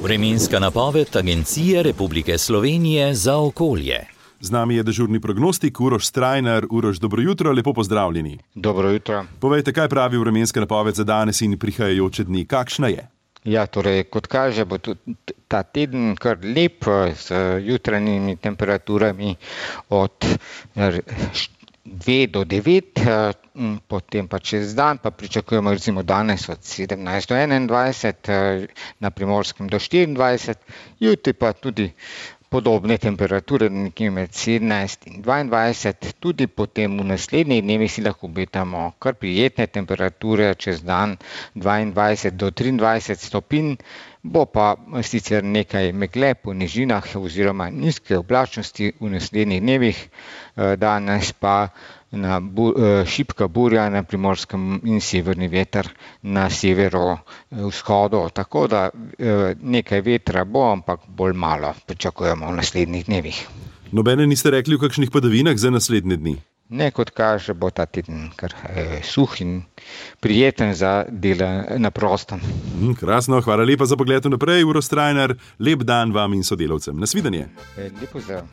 Vremenska napoved Agencije Republike Slovenije za okolje. Z nami je dežurni prognostik Uroš Strajnar. Uroš, dobro jutro, lepo pozdravljeni. Dobro jutro. Povejte, kaj pravi vremenska napoved za danes in prihajajoče dni, kakšna je? Ja, torej, kot kaže, bo tudi ta teden kar lep z jutranjimi temperaturami od 2 do 9, potem pa čez dan pa pričakujemo recimo danes od 17 do 21, na Primorskem do 24, jutri pa tudi podobne temperature, nekje med 17 in 22, tudi potem v naslednjih dnevih si lahko obetamo kar prijetne temperature, čez dan 22 do 23 stopinj, bo pa sicer nekaj megle po nižinah oziroma nizke oblačnosti v naslednjih dnevih, danes pa šibka burja na Primorskem in severni veter na severovzhodu, tako da nekaj vetra bo, ampak bolj malo pričakujemo v naslednjih dnevih. Nobene niste rekli o kakšnih padavinah za naslednje dni? Ne, kot kaže, bo ta teden kar suh in prijeten za delo na prostem. Krasno, hvala lepa za pogled naprej, Uroš Strajnar. Lep dan vam in sodelavcem. Nasvidenje. Lep pozdrav.